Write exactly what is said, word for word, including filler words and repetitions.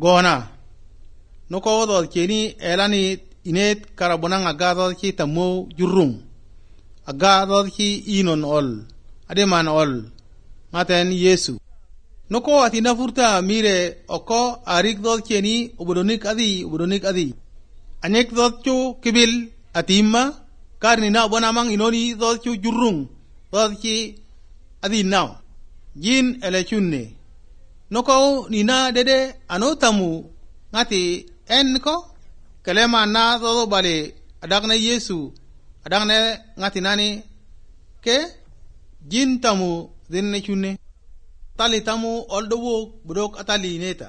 gona no ko do keni elani inet karabona ngaga do ki tamo jurung aga do ki inon ol ade man ol maten Yesu no ko atina furta mire oko arik do keni ubodonik adi ubodonik adi anek do chu kibil atimma karni na bona mang inoni do chu jurung do ki adi now jin elechunne no ko nina dede anotamu ngati en ko kelema na do bale adagne Yesu adagne ngati nani ke jin tamu dinne chunne tali tamu oldo wo budok atali neta